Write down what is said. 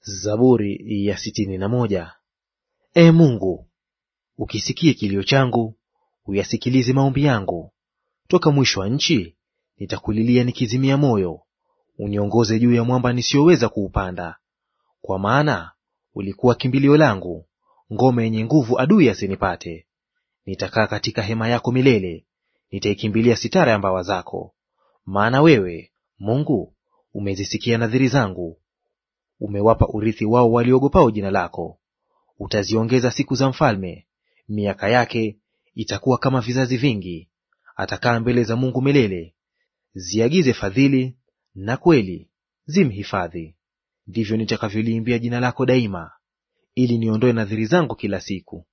Zaburi ya 61. Ee Mungu, ukisikie kilio changu, uyasikilize maombi yangu. Toka mwisho wa nchi nitakulilia nikizimia moyo, uniongoze juu ya mwamba nisiyoweza kuupanda. Kwa maana ulikuwa kimbilio langu, ngome yenye nguvu adui asinipate. Nitakaa katika hema yako milele, nitaikimbilia sitara ya mbawa zako. Maana wewe, Mungu, umezisikia nadhiri zangu, umewapa urithi wao waliogopao jina lako. Utaziongeza siku za mfalme, miaka yake itakuwa kama vizazi vingi. Atakaa mbele za Mungu milele. Ziagize fadhili na kweli, zimhifadhi. Ndivyo nitakavyoliimbia jina lako daima, ili niondoe nadhiri zangu kila siku.